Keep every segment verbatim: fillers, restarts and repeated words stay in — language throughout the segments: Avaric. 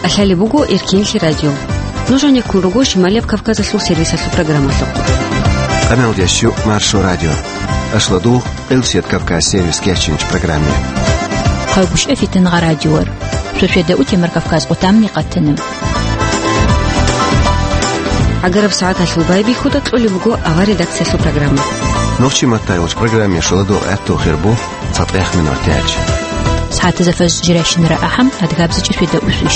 Лъалеб буго Эркинлъи радио. Нуж гьанеккун руго Шималияб Кавказалъул сервисалъул программалъухъ. Къамалдиясчу Маршо радио. Ашладу, Къилсият Кавказ сервис кечинч программе. Хъагушев Фитнагъа радиор. Шошеда утемар Кавказ къутамни къатана. Агараб сагӀаталъул байбихьуда кьолеб буго авар редакциялъул программа. Нурчи Маттайлович программе шоладу гӀатту хирбу. ЦатӀехъ минутач. СагӀатазда фажр жирайщинара ахӀам, адгабзичӀеб шведа усвищ.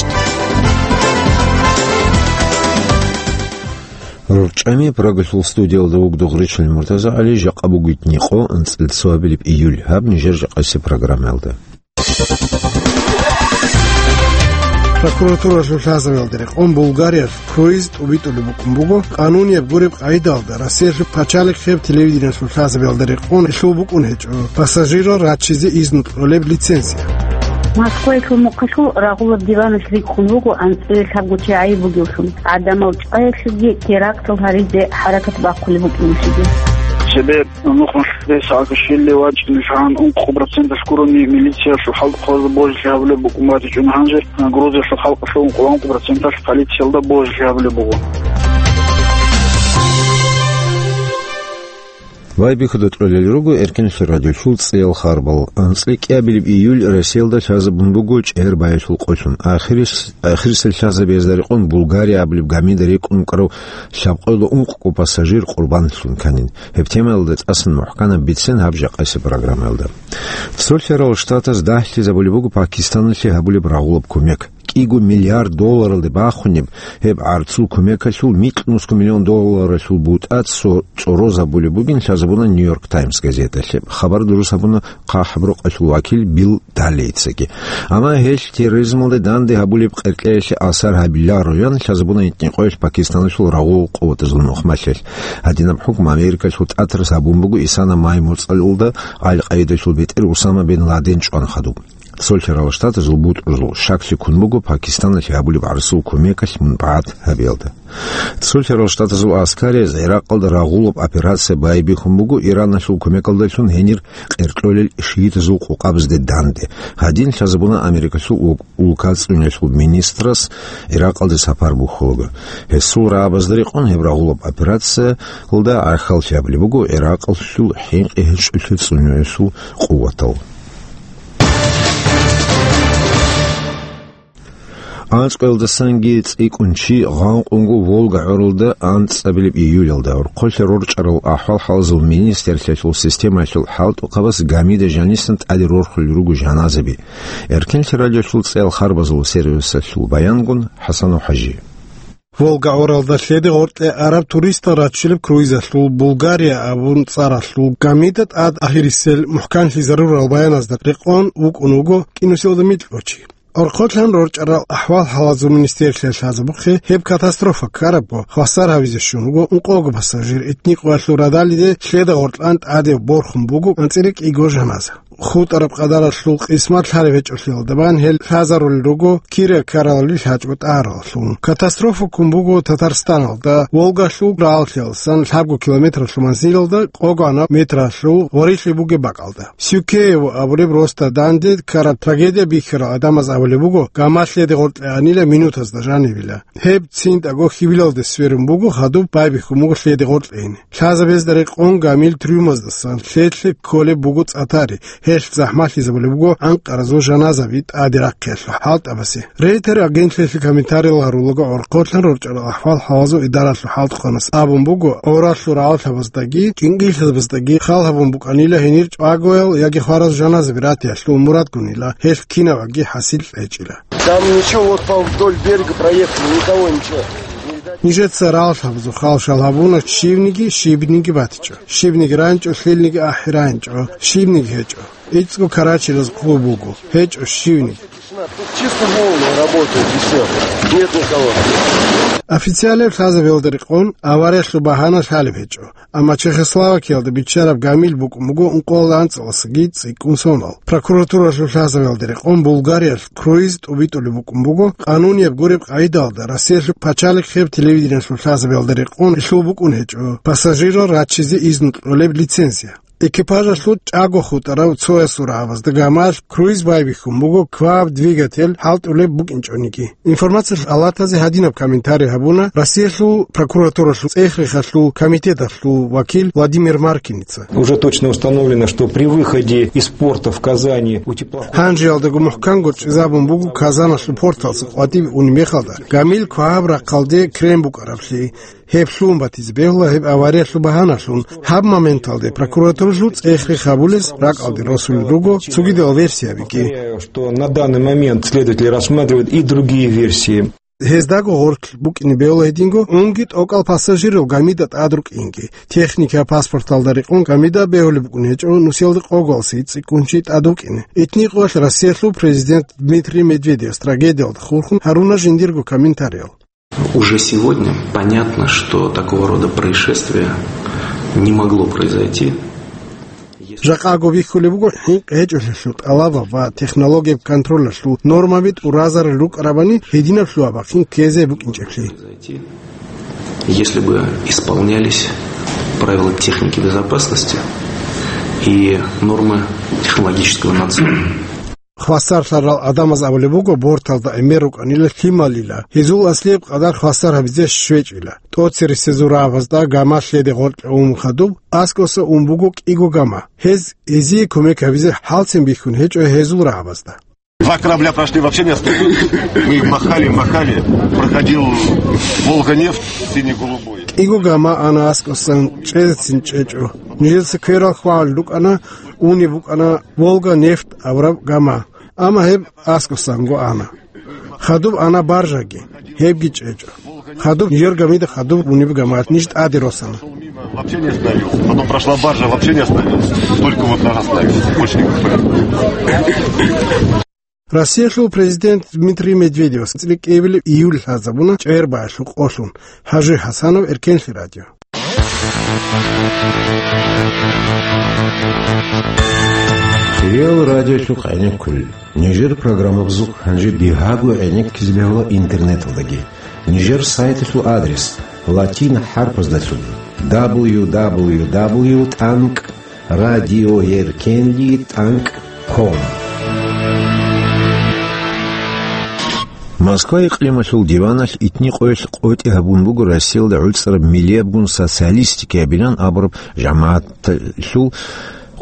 РорчӀами Прагалъул студиялда вугдугъричал МуртазагӀали, жакъа бугит никъо анцӀил цоабилеб июль, гьаб нижер жакъаси программаялда. Прокуратуралъул лъазабиялда рекъон Булгариялъ круиз тӀубитӀулеб букӀун буго, къанунияб гуреб къагӀидалда Россиялъул пачалихъияб телевидениялъул лъазабиялда рекъон гьелъул букӀун гьечӀо пассажирал рачизе изну кьолеб лицензия. Москваялъул мухъалъул рагъулаб диваналъ рикӀкӀун буго анцӀила лъабго чи гӀайиб бугевлъун, гӀадамал чӀваялъеги терактал гьаризе хӀаракат бахъулеб букӀиналъеги. Цебе нухалъ Саакашвили вачӀине лъугьан ункъо проценталъ гурони милициялъул хӀалтӀухъабазда божилъи гьабулеб букӀун батичӀони, гьанже Грузиялъул халкъалъул ункъо проценталъ полициялда божилъи гьабулеб буго. Байбихьуда кьолел руго Эркинлъи радиолъул цӀеял харбал. АнцӀила кӀиабилеб июль Россиялда лъазабун буго чӀегӀер баялъул къолъун. Ахирис-, ахирисел лъазабиязда рекъон Булгария абулеб гамида рекӀун вукӀарав лъабкъоялда ункъго пассажир къурбанлъун кканин. Гьеб темаялда тӀасан мухӀканаб бицен гьаб жакъаси программаялда. Цо лъарал штатаз дагьлъизабулеб буго Пакистаналъе гьабулеб рагъулаб кумек. КӀиго миллиард долларалде бахунеб гьеб гӀарцул кумекалъул микьнусго миллион долларалъул бутӀа цо-, цӀорозабулеб бугин лъазабуна Нью-Йорк Таймс газеталъе. Хабар дурус гьабуна ХъахӀаб рукъалъул вакил Билл Даллейцаги. Амма гьелъ терроризмалде данде гьабулеб къеркьеялъе асар гьабилароян лъазабуна гьитӀинкъоялъ Пакистаналъул рагъул къуватазул нухмалъиялъ. Гьадинаб хӀукму Америкалъул тӀатарас гьабун буго исана май моцӀалда Ал-Къаидалъул бетӀер Усама бин Ладен чӀван хадуб. Цо лъарал штатазул бутӀрузул щаклъи ккун буго Пакистаналъе гьабулеб гӀарцул кумекалъ мунпагӀат гьабиялда. Цо лъарал штатазул аскарияз ГӀиракъалда рагъулаб операция байбихьун буго Ираналъул кумекалдалъун гьенир къеркьолел шиитазул къукъабазде данде. Гьадин лъазабуна Америкалъул улкацӀцӀунялъул министрас ГӀиракъалде сапар бухьулаго. Гьесул рагӀабазда рекъон гьеб рагъулаб операциялда гӀахьаллъи гьабулеб буго ГӀиракъалъул хӀинкъи гьечӀолъи цӀунуялъул къуватал. АнцӀкъоялдасанги цӀикӀкӀун чи гъанкъунго Волга гӀоралда анцӀабилеб июлялда. Орхъолъа рорчӀарал ахӀвал-хӀалазул министрлъиялъул системаялъул хӀалтӀухъабаз гамида жанисан тӀаде рорхулел руго жаназаби. Эркинлъи радиолъул цӀеял харбазул сервисалъул баянгун ХӀасанов ХӀажи. Волга гӀоралда лъеде гъоркье араб туристал раччулеб круизалъул Булгария абун цӀаралъул гамида тӀад ахирисел мухӀканлъи зарурал баяназда рекъон вукӀун вуго кӀинусиялда микьго чи. Орхъолъан рорчӀарал ахӀвал-хӀалазул министрлъиялъ лъазабухъе гьеб катастрофа ккарабго хвасар гьавизе щун вуго ункъого пассажир, итникъоялъул радалиде лъеда гъоркьан тӀаде борхун буго анцӀила кӀиго жаназа. ХутӀараб къадаралъул къисмат лъалеб гьечӀолъиялда бан гьел лъазарулел руго кире ккаралли лъачӀого тӀагьараллъун. Катастрофа ккун буго Татарстаналда, Волгалъул рагӀаллъиялдасан лъабго километралъул манзилалда къого-анаб метралъул гъорилъи бугеб бакӀалда. Сюкеево абулеб росда данде ккараб трагедия бихьарал гӀадамаз абулеб буго, гамалъ лъеде гъоркье анила минутазда жанибила. Гьеб цинтӀаго хьибилалде сверун буго, хадуб байбихьун буго лъеде гъоркье ине. Лъазабезда рекъон гамил трюмаздасан лъелъе кколеб буго цӀатари, гьелъ захӀмалъизабулеб буго анкъаразул жаназаби тӀаде рахъиялъул хӀалтӀабазе. Рейтер агентлъиялъе комментариял гьарулаго, орхъолъан рорчӀарал ахӀвал-хӀалазул идаралъул хӀалтӀухъанас абун буго, гӀоралъул рагӀаллъабаздаги, кӀинкӀиллъабаздаги хал гьабун букӀанила гьенир чӀвагоял яги хвараз жаназаби ратиялъул мурадгунила, гьелъ кинабаги хӀасил кьечӀила. Там ничего, вот по вдоль берега проехали, никого, ничего. Нижеца рагӀаллъабазул хал-шал гьабуна, щибниги, щибниги батичӀо. Щибниги райчӀо, лъилниги ахӀи райчӀо, щибниги гьечӀо. ИцӀго карачилаз хъуб буго, гьечӀо щивниги. Тут чисто волны работают и всё. Нет никого. Официалаб лъазабиялда рекъон авариялъул багьана лъалеб гьечӀо. Амма Чехословакиялда биччараб гамил букӀун буго ункъоялда анцӀаласаги цӀикӀкӀун сонал. Прокуратуралъул лъазабиялда рекъон Булгариялъ круиз тӀубитӀулеб букӀун буго, къанунияб гуреб къагӀидалда Россиялъул пачалихъияб телевидениялъул лъазабиялда рекъон гьелъул букӀун гьечӀо пассажирал рачизе изну кьолеб лицензия. Экипажалъул чӀаго хутӀарав цоясул рагӀабазда гамалъ круиз байбихьун буго кваб двигатель хӀалтӀулеб букӀинчӀониги. Информациялъул палатазе гьадинаб комментарий гьабуна Россиялъул прокуратуралъул цӀех-рехалъул комитеталъул вакил Владимир Маркиница. Уже точно установлено, что при выходе из порта в Казани у теплохода... Гьанжеялдаго мухӀканго чӀезабун буго Казаналъул порталъа къватӀибе унеб мехалда гамил кваб рахъалде крен букӀараблъи. Гьеб лъугьун батизе бегьула гьеб авариялъул багьаналъун. Гьаб моменталде прокуратуралъул цӀех-рех гьабулес ракӀалде росулел руго цогидал версиябиги. Повторяю, что на данный момент следователи рассматривают и другие версии. Гьездаго гъорлъ букӀине бегьула гьединго унги тӀокӀал пассажирал гамида тӀад рукӀинги. Техника паспорталда рекъон гамида бегьулеб букӀун гьечӀо нусиялда къогалъ цӀикӀкӀун чи тӀад вукӀине. Итни къоялъ Россиялъул президент Дмитрий Медведев трагедиялда хурхун гьаруна жиндирго комментариял. Уже сегодня понятно, что такого рода происшествие не могло произойти, если... Жакъаго бихьулеб буго хӀинкъи гьечӀолъиялъул тӀалабаб ва технологияб контролалъул нормаби тӀуразарал рукӀарабани гьединаб лъугьа-бахъин ккезе букӀинчӀеблъи. Если бы исполнялись правила техники безопасности и нормы технологического надзора. Хвасарлъарал гӀадамаз абулеб буго, борталда гӀемер рукӀанила лъималила, гьезул аслияб къадар хвасар гьабизе щвечӀила. ТӀоцересезул рагӀабазда гамалъ лъеде гъоркье ун хадуб, аскӀоса ун буго кӀиго гама. Гьез гьезие кумек гьабизе хӀалцин бихьун гьечӀо гьезул рагӀабазда. Два корабля прошли, вообще не остановились. Мы их махали, махали. Проходил Волга-нефть, синий-голубой. КӀиго гама ана аскӀосан чӀезецин чӀечӀо. Нижеца кверал хвагьал рукӀана, унеб букӀана Волга-нефть абураб гама. Амма гьеб аскӀосанго ана. Хадуб ана баржаги, гьебги чӀечӀо. Хадуб Йоргамида хадуб унеб гамаят ниж тӀаде росана. Вообще не остановился. Потом прошла баржа, вообще не остановился. Только вот нас остановился. Больше никаких. Россиялъул президент Дмитрий Медведевас цӀикӀкӀиябилеб июль лъазабуна чӀегӀербаялъул къолъун. Хажи Хасанов, Эркенлъи радио. Хириял радиолъухъ гӀенеккулел. Нижер программабазухъ гьанже бигьаго гӀенеккизе бегьула интернеталдаги. Нижер сайталъул адрес латин хӀарпаздалъун: дабл ю дабл ю дабл ю тӀанкӀ радиоеркенлъи тӀанкӀ ком. Москва икълималъул диваналъ итни къоялъ къотӀи гьабун буго Россиялда гӀуцӀараб миллиябгун социалистика абилан абураб жамагӀаталъул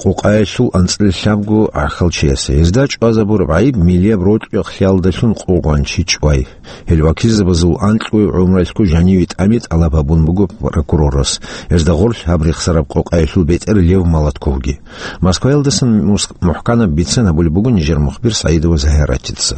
къокъаялъул анцӀила лъабго гӀахьалчиясе. Гьезда чӀвазабураб гӀайиб миллияб рокьукъалдалъун къугъван чи чӀвай. Гьел вакилзабазул анкьго гӀумруялъго жаниве тӀами тӀалаб гьабун буго прокурорас. Гьезда гъорлъ гьаб рехсараб къокъаялъул бетӀер Лев Молотковги. Москваялдасан мус-, мухӀканаб бицен гьабулеб буго нижер мухбир СагӀидова Загьиратица.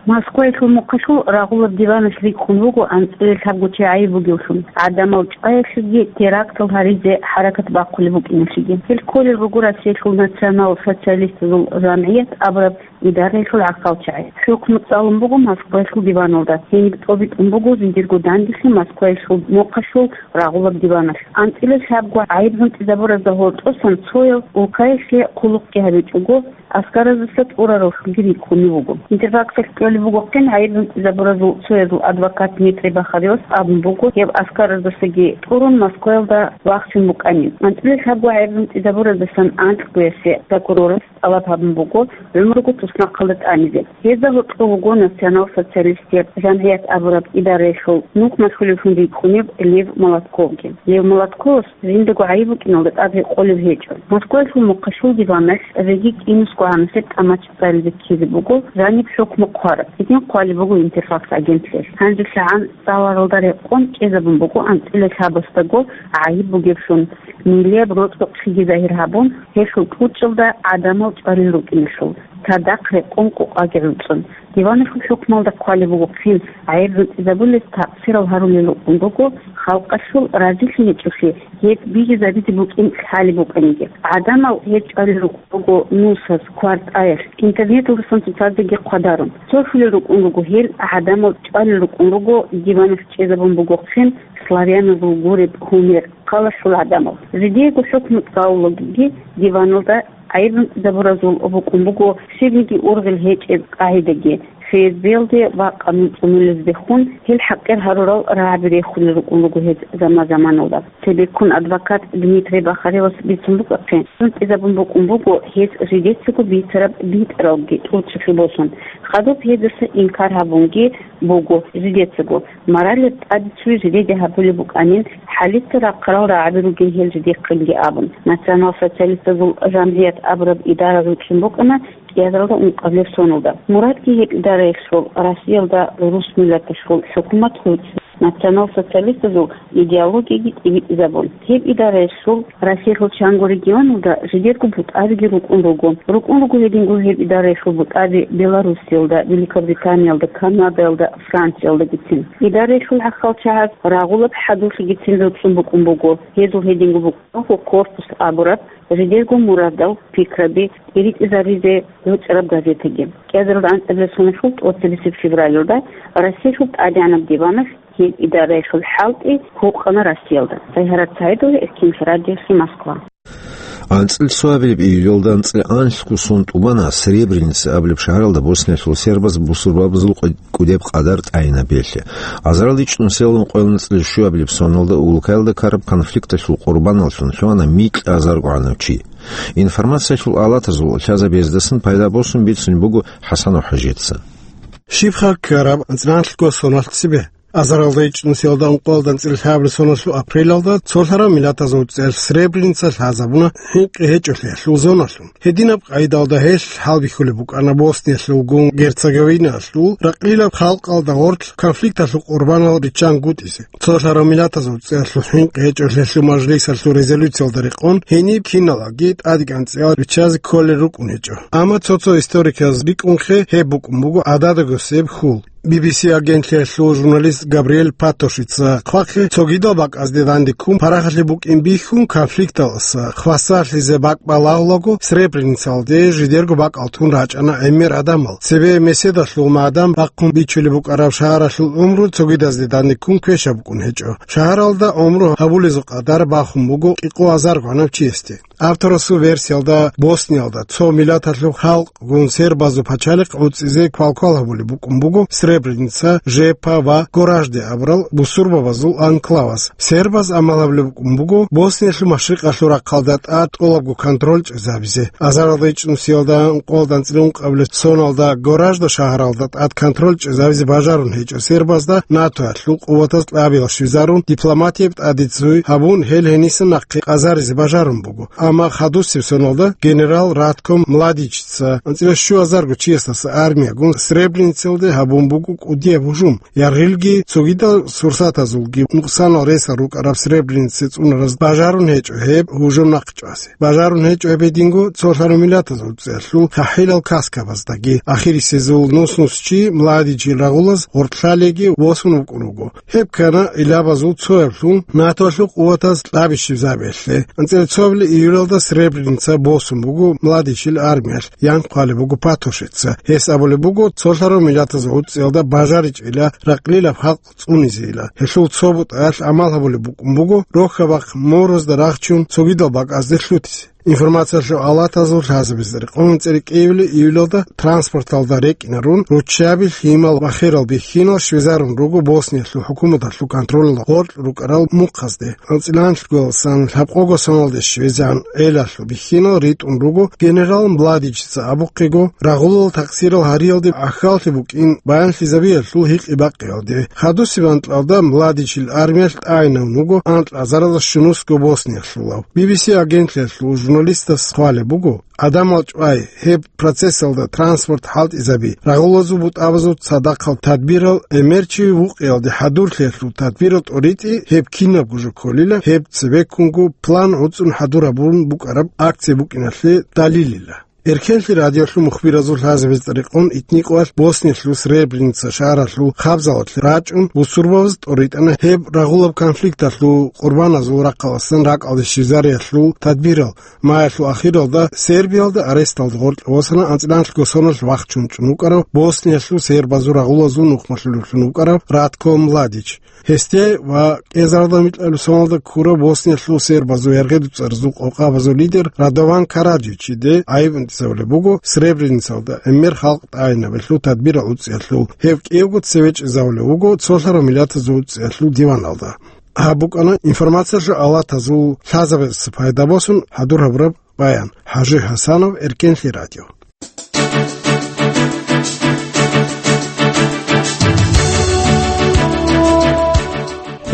Москваялъул мухъалъул рагъулаб диваналъ рикӀкӀун вуго анцӀила лъабго чи гӀайиб бугевлъун, гӀадамал чӀваялъеги терактал гьаризе хӀаракат бахъулеб букӀиналъеги. Гьел кколел руго Россиялъул национал-социалистазул жамгӀият абураб идараялъул гӀахьалчагӀи. ХӀукму цӀалун буго Москваялъул диваналда. Гьениб тӀобитӀун буго жиндирго данделъи Москваялъул мухъалъул рагъулаб диваналъ. АнцӀила лъабго гӀайиб гьунтӀизабуразда гьоркьосан цояв улкаялъе хъулухъги гьабичӀого, аскараздаса тӀурараллъунги рикӀкӀунев вуго. Интерфаксалъ кьолеб бугохъин, гӀайиб гьунтӀизабуразул цоязул адвокат Дмитрий Бахаревас абун буго, гьев аскараздасаги тӀурун Москваялда вахчун букӀанин. АнцӀила лъабго гӀайиб гьунтӀизабураздасан анкьгоясе прокурорас тӀалаб гьабун буго гӀумруго туснахъалда тӀамизе. Гьезда гьоркьов вуго национал-социалистияб жамгӀият абураб идараялъул нух малъулевлъун рикӀкӀунев Лев Молотковги. Лев Молотковас жиндаго гӀайиб букӀиналда тӀад гьекъолеб гьечӀо. Москваялъул мухъалъул диваналъ цӀабиги кӀинусго гӀанасеб тӀамачӀ цӀализе ккезе буго жаниб хӀукму хъвараб. Гьедин хъвалеб буго Интерфакс агентлъиялъ. Гьанже лъагӀан цӀаларалда рекъон кӀезабун буго анцӀила лъабасдаго гӀайиб бугеблъун, миллияб рокьукълъиги загьир гьабун, гьелъул кьучӀалда гӀадамал чӀвалел рукӀиналъул, цадахъ рекъон къокъаги гӀуцӀун. Диваналъул хӀукмалда хъвалеб бугохъин, гӀайиб гьунтӀизабулес такъсирал гьарулел рукӀун руго, халкъалъул разилъи гьечӀолъи гьеб бижизабизе букӀин лъалеб букӀаниги. ГӀадамал гьеб чӀвалел рукӀун руго нусаз, квартӀаялъ, интернеталдасан цоцаздаги хъвадарун. Цолъулел рукӀун руго гьел, гӀадамал чӀвалел рукӀун руго диваналъ чӀезабун бугохъин славяназул гуреб гьумер, хъалалъул гӀадамал. Жидеего хӀукму цӀалулагиги диваналда гӀайиб гьунтӀизабуразул букӀун буго щибниги ургъел гьечӀеб къагӀидаги. ФСБ-ялде ва къанун цӀунулезде хун, гьел хӀакъир гьарурал рагӀаби рехулел рукӀун руго гьез заман-заманалда. Цебеккун адвокат Дмитрий Бахаревас бицун букӀахъе, хӀинкъизабун букӀун буго гьез жидецаго бицараб битӀаралги тӀурцӀулъе босун. Хадуб гьезаса инкар гьабунги буго жидецаго. Моралеб тӀаде цуй жидеде гьабулеб букӀанин, хӀалица рахъарал рагӀаби ругин гьел жидехъинги абун. Национал-социалистазул жамгӀият абураб идара ручӀун букӀана кӀиазаралда ункъабилеб соналда. Мурадги гьеб идараялъул Россиялда рус миллаталъул хӀукумат гьуцӀи, национал-социалистазул идеологияги тӀибитӀизабун. Гьеб идараялъул Россиялъул чанго регионалда жидерго бутӀабиги рукӀун руго. РукӀун руго гьединго гьеб идараялъул бутӀаби Белоруссиялда, Великобританиялда, Канадаялда, Франциялдагицин. Идараялъул гӀахьалчагӀаз рагъулаб хӀадурлъигицин руцӀцӀун букӀун буго. Гьезул гьединго букӀун буго «Корпус» абураб, жидерго мурадал пикраби тӀиритӀизаризе гьуцӀараб газетаги. КӀиазаралда анцӀабилеб соналъул тӀоцебесеб февралалда Россиялъул ТӀадегӀанаб диваналъ гьеб идараялъул хӀалтӀи гьукъана Россиялда. ТӀагьарат СагӀидова, Эркин радиоси, Москва. АнцӀила цоабилеб июлалда анцӀила анлъго сон тӀубана Сребреница абулеб шагьаралда Босниялъул сербаз бусурбабазул къу-, кӀудеб къадар тӀайинаб белъи. Азаралда ичӀнусиялда ункъоялда анцӀила щуабилеб соналда улкаялда ккараб конфликталъул къурбаналлъун лъугьана микьазарго гӀанав чи. Информациялъул алатазул лъазабездасан пайда босун бицунеб буго ХӀасан ХӀажица. Щибха ккараб анцӀила анлъго соналъ цебе? Азаралда ичӀнусиялда ункъоялда анцӀила лъабабилеб соналъул апрелалда цолъарав миллатазул цӀеялъ Сребреница лъазабуна хӀинкъи гьечӀолъиялъул зоналъун. Гьединаб къайдалда гьелъ хӀалбихьулеб букӀана Босниялъулгун Герцеговинаялъул ракълилаб халкъалда гъорлъ конфликталъул къурбанал риччангутӀизе. Цолъарав миллатазул цӀеялъул хӀинкъи гьечӀолъиялъул мажлисалъул резолюциялда рекъон гьениб киналги тӀадегӀан цӀеял риччазе кколел рукӀун гьечӀо. Амма цо-цо историказ рикӀкӀунхъе гьеб букӀун буго гӀададагосеб хьул. Би-би-си агентлъиялъул журналист Габриэль Патошица хъвахъе цогидал бакӀазде данде ккун парахалъе букӀин бихьун конфликталаса хвасарлъизе бакӀ балагьулаго Сребреницалде жидерго бакӀал тун рачӀана гӀемер гӀадамал. Цебе меседалъул магӀдан бахъун бичулеб букӀараб шагьаралъул гӀумру цогидазде данде ккун квешаб букӀун гьечӀо. Шагьаралда гӀумру гьабулезул къадар бахун буго кӀикъоязарго гӀанав чиясде. Авторасул версиялда Босниялда цо миллаталъул халкъгун сербазул пачалихъ гӀуцӀизе квалквал гьабулеб букӀун буго Сребреница, Жепа ва Горажде абурал бусурбабазул анклаваз. Сербаз амал гьабулеб букӀун буго Босниялъул машрикъалъул рахъалда тӀад тӀолабго контроль чӀезабизе. Азаралда ичӀнусиялда ункъоялда анцӀила ункъабилеб соналда Горажда шагьаралда тӀад контроль чӀезабизе бажарун гьечӀо сербазда НАТОялъул къуватаз кьабил щвезарун дипломатияб тӀаде цуй гьабун, гьел гьенисан нахъе къазаризе бажарун буго. Амма хадусеб соналда генерал Ратком Младичица анцӀила щуязарго чиясдаса армиягун Сребреницалде гьабун буго кӀудияб гьужум. Яргъилги цогидал сурсатазулги нукъсанал ресал рукӀараб Сребреница цӀунараз бажарун гьечӀо гьеб гьужум нахъчӀвазе. Бажарун гьечӀо гьеб гьединго цолъарав миллатазул цӀеялъул хӀахӀилал каскабаздаги. Ахирисезул нус-нус чи Младичил рагъулаз гъоркьлъалеги восун вукӀун вуго. Гьеб ккана илабазул цояблъун НАТОялъул къуватаз кьабищибзабиялъе. АнцӀила цоабилеб июлалда Сребреница босун буго Младичил армиялъ, ян хъвалеб буго Патошица. Гьес абулеб буго цолъарав миллатаз гӀуцӀиялда бажаричӀила ракълилаб халкъ цӀунизейила. Гьелъул цо бутӀаялъ гӀамал гьабулеб букӀун буго рохьабахъ морозда рахчун цогидал бакӀазде лъутизе. Информациялъул алатазул лъазабизе рекъон анцӀила кӀиабилеб июлалда транспорталда рекӀинарун, руччаби, лъимал ва херал бихьинал щвезарун руго Босниялъул хӀукуматалъул контролалда гъоркь рукӀарал мухъазде. АнцӀила анлъгоялдасан лъабкъого соналде щвезегӀан гӀелалъул бихьинал ритӀун руго генерал Младичица абухъего, рагъулал такъсирал гьариялде гӀахьаллъи букӀин баянлъизабиялъул гьикъи-бакъиялде. Хадусеб анкьалда Младичил армиялъ тӀагӀинавун вуго анкьазаралда щунусго Босниялъулав. Би-би-си агентлъиялъул журналистас хъвалеб буго, гӀадамал чӀвай, гьеб процессалда транспорт хӀалтӀизаби, рагъулазул бутӀабазул цадахъал тадбирал, гӀемерчи вукъиялде хӀадурлъиялъул тадбирал тӀоритӀи, гьеб кинабго жо кколила, гьеб цебеккунго план гӀуцӀун хӀадур гьабун букӀараб акция букӀиналъе далилила. Эркенлъи радиолъул мухбиразул лъазабизе рекъон итникъоялъ Босниялъул Сребреница шагьаралъул хабзалалъе рачӀун, бусурбабаз тӀоритӀана гьеб рагъулаб конфликталъул къурбаназул рахъаласан ракӀалде щвезариялъул тадбирал. Маялъул ахиралда Сербиялда аресталда гъоркье восана анцӀила анлъго соналъ вахчун чӀун вукӀарав Босниялъул сербазул рагъулазул нухмалъулевлъун вукӀарав Ратко Младич. Гьесде ва кӀезаралда микьабилеб соналда ккурав Босниялъул сербазул яргъи-дуцӀаризул къокъабазул лидер Радован Караджичиде гӀайиб бахъизабулеб буго Сребреницалда гӀемер халкъ тӀагӀинабилъул тадбирал уцӀиялъул, гьев кӀиявго цеве чӀезавулев вуго цолъарав миллатазул уцӀиялъул диваналда. Гьаб букӀана информациялъул алатазул лъазабаз пайда босун хӀадур гьабураб баян. ХӀажи ХӀасанов, Эркенлъи радио.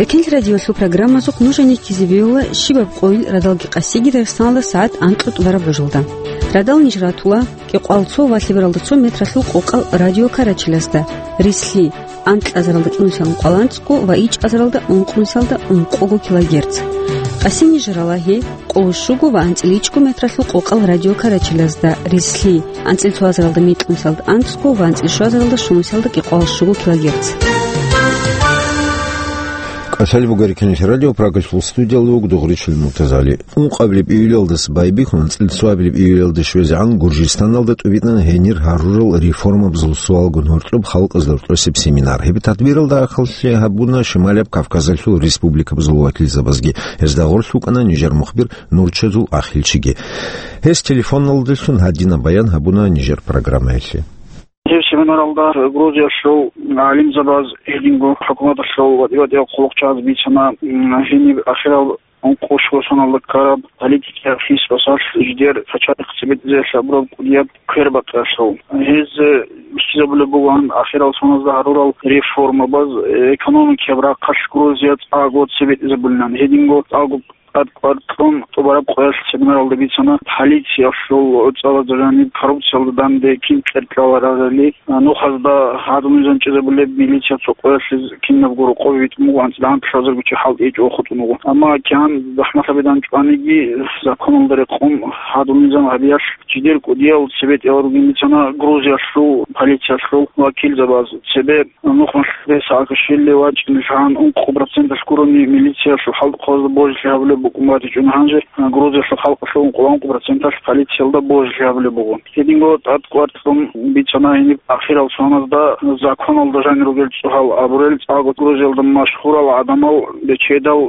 Эркенлъи радиолъул программазухъ нуж гьанир ккезе бегьула щибаб къойил радалги къасиги Дагъистаналда сагӀат анкьго тӀубараб гӀужалда. Радал ниж ратула кӀикъоялда цо ва лъебералда цо метралъул къокъал радиокарачилазда, рислъи, анкьазаралда кӀинусиялда ункъоялда анцӀго ва ичӀазаралда ункънусиялда ункъого килогерц. Къаси ниж рала гьеб къоло щуго ва анцӀила ичӀго метралъул къокъал радиокарачилазда, рислъи, анцӀила цоазаралда мекьнусиялда анцӀго ва анцӀила щуазаралда щунусиялда кӀикъоялда щуго килогерц. КӀалъалеб буго Эркенлъи радио, Прагалъул студиялда вуго Дугъричил Муртазали. Ункъабилеб июлалдаса байбихьун, анцӀила цоабилеб июлалде щвезегӀан Гуржистаналда тӀубитӀана гьенир гьарурал реформабазул суалгун гьоркьоб халкъазда рокьосеб семинар. Гьеб тадбиралда ахӀаллъи гьабуна Шималияб Кавказалъул республикабазул вакилзабазги. Гьезда гъорлъ вукӀана нижер мухбир Нурчазул Ахилчиги. Гьес телефоналдалъун гьадинаб баян гьабуна нижер программаялъе. Гьеб семинаралда Грузиялъул гӀалимзабаз, гьединго хӀукуматалъул ва тӀибатӀиял хъулухъчияз бицана, м, гьениб ахирал ункъо щуго соналда ккараб политикияб хӀисбасалъ жидер пачалихъ цебетӀезелъ гьабураб кӀудияб квербакъиялъул. Гьез бихьизабулеб бугоан ахирал соназда гьарурал реформабаз, экономикияб рахъалъ Грузия цӀакъго цебетӀезабулилан, гьединго цӀакъго тӀад кӀвар кьун тӀубараб къоялъ семинаралда бицана полициялъул гӀуцӀалазда жаниб коррупциялда данде кин кьеркьаларарали, нухазда гьадинаб низам чӀезабулеб, милиция цо къоялъ кинабго рокъове витӀун буго, анцӀила гьанкьлъазарго чи хӀалтӀи гьечӀого хутӀун буго. Амма кигӀан захӀмалъабилан чӀваниги, законалда рекъон гьадинаб низам гьабиялъ жидер кӀудиял цебетӀеял ругин бицана Грузиялъул полициялъул вакилзабаз. Цебе нухмалъ Саакашвили вачӀинегӀан ункъо проценталъ гурони милициялъул хӀалтӀухъабазда божилъи гьабулеб букӀун батичӀони, гьанже Грузиялъул халкъалъул ункъо проценталъ полициялда божилъи гьабулеб буго. Гьединго тӀад кӀвар кьун бицана гьениб ахирал соназда законалда жанир ругел цӀогьал абурел цӀакъго Грузиялда машгьурал гӀадамал бечедал,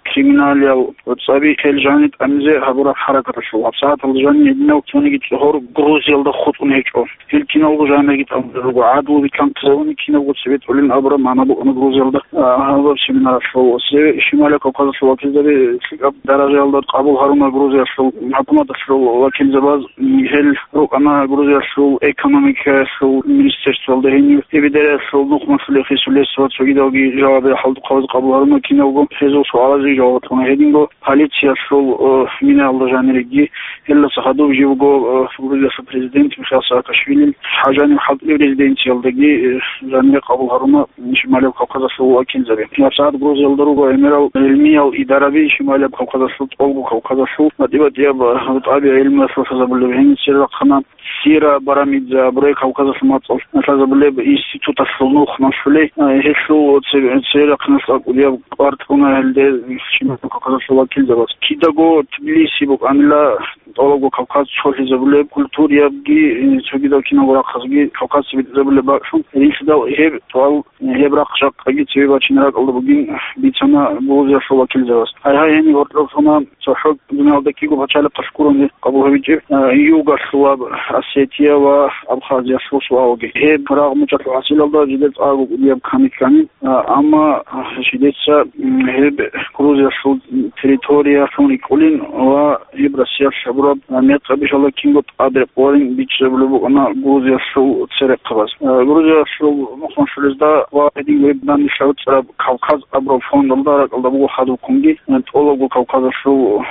криминалиял цӀаби хел жани тӀамизе гьабураб хӀаракаталъул. ГьабсагӀаталда жани гьединал цониги цӀогьор Грузиялда хутӀун гьечӀо. Гьел киналго жанирги тӀамулел руго, гӀадлу биканлъизабуни кинабго цебетӀулин абураб магӀна букӀана Грузиялда, а, гьабаб семинаралъул. Ва цебе Шималияб Кавказалъул вакилзаби лъикӀаб даражаялда къабул гьаруна Грузиялъул хӀукуматалъул вакилзабаз, гьел рукӀана Грузиялъул экономикаялъул министерствоялда, гьенив Эбидералъул нухмалъулел хисулес ва цогидалги жавабиял хӀалтӀухъабаз къабул гьаруна, киналго гьезул суалазеги жаваб батана. Гьединго полициялъул, э, минаялда жаниреги, гьелдаса хадуб жив вуго, э, Грузиялъул президент Михаил Саакашвилил жанив хӀалтӀулеб резиденциялдаги, э, жанире къабул гьаруна Шималияб Кавказалъул вакилзаби. ГьабсагӀат Грузиялда руго гӀемерал гӀилмиял идараби Шималияб Кавказалъул, ТӀолго Кавказалъул, батӀи-батӀияб, э, тӀаби гӀилмуялъул лъазабулеб гьениса рахъана Сира Барамидзе абурай Кавказалъул мацӀалъ лъазабулеб институталъул нухмалъулей, э, гьелъул цебе-, церехъанас акӀудияб кӀвар кьуна гьелде Шималияб Кавказалъул вакилзабаз. Кидаго Тбилиси букӀанила ТӀолабго Кавказ цолъизабулеб, культуриябги, э, цогидал киналго рахъазги Кавказ цебетӀезабулеб бакӀлъун, гьединлъидал гьеб суал, э, гьеб рахъ жакъаги цебе бачине ракӀалда бугин бицана Грузиялъул вакилзабаз. Гьайгьай, гьениб гьоркьоб сона цохӀо дуниялда кӀиго пачалихъалъ гурони къабул гьабичӀеб, э, Югалъулаб Осетия ва Абхазиялъул суалги. Гьеб рагъ мучӀалъул хӀасилалда жидер цӀакъго кӀудияб ками ккани, э, амма, э, жидеца, м, гьеб Грузиялъул территориялъун рикӀкӀунин ва гьеб Россиялъ гьабураб, э, мекъаб ишалда кинго тӀад рекъоларин бичӀчӀизабулеб букӀана Грузиялъул церехъабаз. Э, Грузиялъул нухмалъулезда ва гьедин гьеб данделъ гьабицӀараб Кавказ абураб фондалда ракӀалда буго хадубккунги, э, ТӀолабго Кавказалъул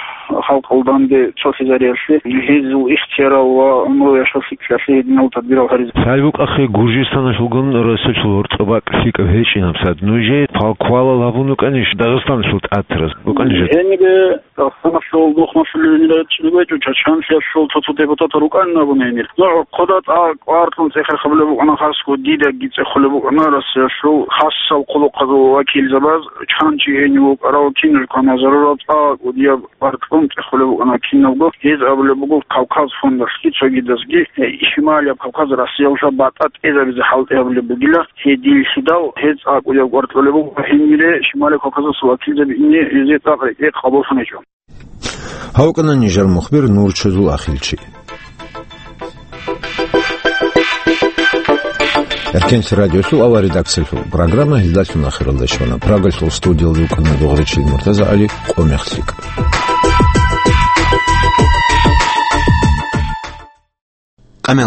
халкъалда данде цолъизариялъе, гьезул ихтиярал ва гӀумру яшав лъикӀлъиялъе гьединал тадбирал гьаризе. Лъай букӀахъе Гуржистаналъулгун Россиялъул гьоркьоб бакӀ лъикӀаб гьечӀин гьабсагӀат. Нужее палквалал гьабун рукӀанищ Дагъистаналъул тӀатараз? РукӀанищ? Гьенире Дагъистаналъул нухмалъулел гьенире чӀезабечӀо, Чачанлъиялъул цо-цо депутатал рукӀанин абун гьенир. Ну, гӀорхъода тӀа кӀвар кьун цӀехерхабулеб букӀана хасго, дидаги цӀехулеб букӀана Россиялъул хасал хъулухъазул вакилзабаз, чан чи гьенив вукӀарав, киналго зарурав цӀакъ кӀудияб кӀвар кьун цӀехулеб букӀана киналго. Гьез абулеб буго Кавказ фондалъги цогидазги, э, Шималияб Кавказ Россиялда батӀа тӀезабизе хӀалтӀи гьабулеб бугила, гьединлъидал гьез цӀакъ кӀудияб кӀвар кьолеб буго, гьенире Шималияб Кавказалъул вакилзаби ине гьезие цӀакъ рекӀее къабуллъун гьечӀо. Гьав вукӀана нижер мухбир Нурчазул Ахилчи. Эркенлъи радиолъул авар редакциялъул программа гьелдалъун ахиралде щвана. Прагалъул студиялда вукӀана Дугъричил МуртазагӀали. Къо мехлъи.